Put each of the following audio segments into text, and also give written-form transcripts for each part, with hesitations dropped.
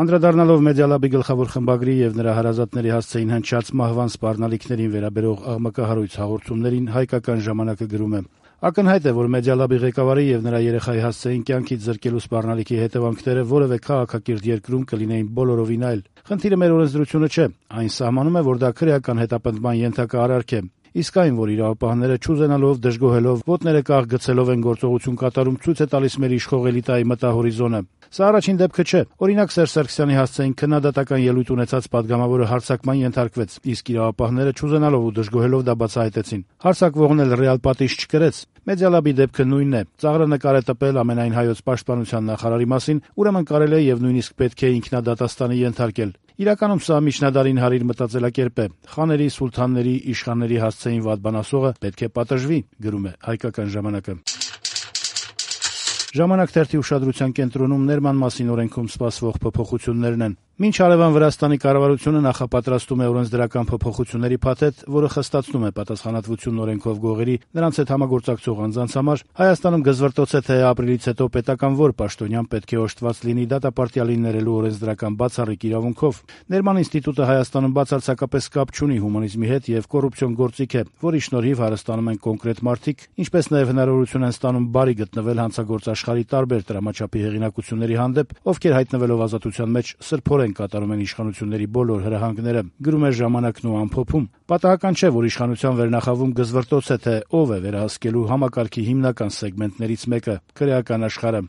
Անդրադառնալով Մեդիալաբի գլխավոր խմբագրի եւ նրա հարազատների հասցեին հնչած մահվան սպառնալիքներին վերաբերող աղմկահարույց հաղորդումներին հայկական ժամանակը գրում է. Ակնհայտ է, որ Մեդիալաբի ղեկավարի եւ նրա երեխայի հասցեին կյանքից զրկելու սպառնալիքի հետևանքները որևէ քաղաքակիրթ երկրում կլինեին բոլորովին այլ։ Խնդիրը մեր օրենսդրությունը չէ, այն սահմանում է, որ դա քրեական հետապնդման ենթակա արարք է։ Իսկ այն, որ իրավապահները չուզենալով, դժգոհելով, ոտները կաղ գցելով են գործողություն կատարում, ցույց է տալիս մեր իշխող էլիտայի մտահորիզոնը։ Սա առաջին դեպքը չէ։ Օրինակ Սերժ Սարգսյանի հասցեին քննադատական ելույթ ունեցած պատգամավորը հարձակման ենթարկվեց, իսկ իրավապահները չուզենալով ու դժգոհելով դա բացահայտեցին։ Հարձակվողն էլ ռեալ պատիժ չկրեց։ Մեդիալաբի դեպքը նույնն է։ Ծաղրը նկար է տպել ամենայն հայոց պաշտպանության նախարարի մասին, ուրեմն կարելի է եւ նույնիսկ պետք է ինքնադատաստանի ենթարկել։ Իրականում սա միջնադարին հարիր մտածելակերպ է։ Խաների, սուլթանների, իշխանների հասցեին վատ բան ասողը պետք է պատժվի, գրում է հայկական ժամանակը։ Ժամանակ թերթի ուշադրության կենտրոնում ներման մասին օրենքում սպասվող փոփոխություններն են։ Մինչ հարևան Վրաստանի կառավարությունը նախապատրաստում է օրենսդրական փոփոխությունների փաթեթ, որը խստացնում է պատասխանատվությունն օրենքով գողերի, նրանց հետ համագործակցող անձանց համար, Հայաստանում գզվռտոց է, թե ապրիլից հետո պետական որ պաշտոնյան պետք է օժտված լինի դատապարտյալին ներելու օրենսդրական բացառիկ իրավունքով։ Ներման ինստիտուտը Հայաստանում բացարձակապես կապ չունի հումանիզմի հետ եւ կոռուպցիոն գործիք է, որի շնորհիվ հարստանում են կոնկրետ մարդիկ, ինչպես նաեւ հնարավորություն են ստանում բարի գտնվել հանցագործ աշխարհի տարբեր տրամաչափի հեղինակությունների հանդեպ, ովքեր հայտնվելով ազատության մեջ սրբորեն կատարում են իշխանությունների բոլոր հրահանգները, գրում է ժամանակն ու ամփոփում։ Պատահական չէ, որ իշխանության վերնախավում գզվռտոց է, թե ով է վերահսկելու համակարգի հիմնական սեգմենտներից մեկը՝ քրեական աշխարհը։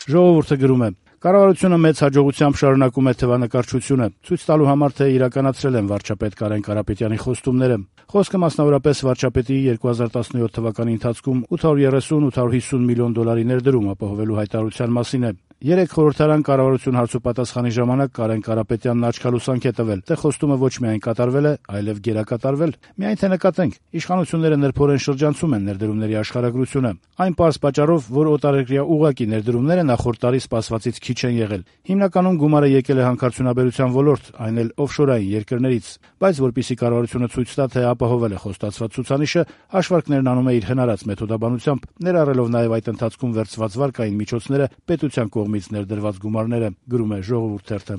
Ժողովուրդը գրում է. Կառավարությունը մեծ հաջողությամբ շարունակում է թվանկարչությունը, ցույց տալու համար, թե իրականացրել են վարչապետ Կարեն Կարապետյանի խոստումները։ Խոսքը մասնավորապես վարչապետի 2017 թվականի ընթացքում 830-850 միլիոն դոլարի ներդրում ապահովելու հայտարարության մասին է։ Երեք խորհրդարան կառավարություն հարցուպատասխանի ժամանակ Կարեն Կարապետյանն աչքալուսանք է տվել, թե խոստումը ոչ միայն կատարվել է, այլև գերակատարվել։ Միայն թե նկատենք, իշխանությունները նրբորեն շրջանցում են ներդրումների աշխարհագրությունը։ Այն պարզ պատճառով, որ օտարերկրյա ուղղակի ներդրումները նախորդ տարի սպասվածից քիչ են եղել։ Հիմնականում գումարը եկել է հանքարդյունաբերության ոլորտ, այն էլ օֆշորային երկրներից, բայց որպեսզի կառավարությունը ցույց տա, թե ապահովել է խոստացված ցուցանիշը, հաշվարկներն անում է իր հնարած մեթոդաբանությամբ, ներառելով նաև այդ ընթացքում վերցված վարկային միջոցները, պետության կողմից ներդրված գումարները, գրում է Ժողովուրդ թերթը։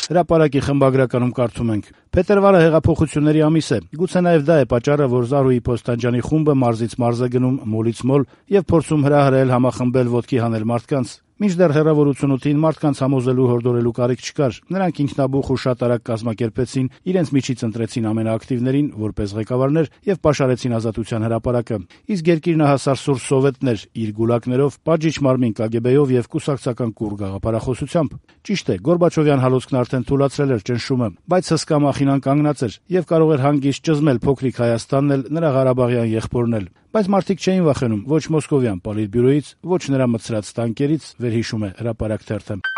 Հրապարակի խմբագրականում կարդում ենք. Փետրվարը հեղափոխությունների ամիս է։ Գուցե նաև դա է պատճառը, որ Զարուհի Փոստանջանի խումբը մարզից մարզ է գնում, մոլից մոլ եւ փորձում հրահրել, համախմբել, ոտքի հանել մարդկանց։ Մինչդեռ հեռավոր 88-ին մարդկանց համոզելու հորդորելու կարիք չկար։ Նրանք ինքնաբուխ ու շատ արագ կազմակերպեցին, իրենց միջից ընտրեցին ամենաակտիվներին որպես ղեկավարներ եւ պաշարեցին Ազատության հրապարակը։ Իսկ երկիրնահասար սուր սովետներ իր գուլակներով, պատժիչ մարմին KGB-ով եւ կուսակցական կուռ գաղափարախոսությամբ։ Ճիշտ է, Գորբաչովյան հալոցքն արդեն թուլացրել էր ճնշումը, բայց հսկա մախինան կանգնած էր եւ կարող էր հանգիստ ճզմել փոքրիկ Հայաստանն էլ, նրա Ղարաբաղյան եղբորն էլ։ Բայց մարդիկ չէին վախենում ոչ մոսկովյան պոլիտբյուրոյից, ոչ նրա մտցրած տանկերից, վերհիշում է Հրապարակ թերթը։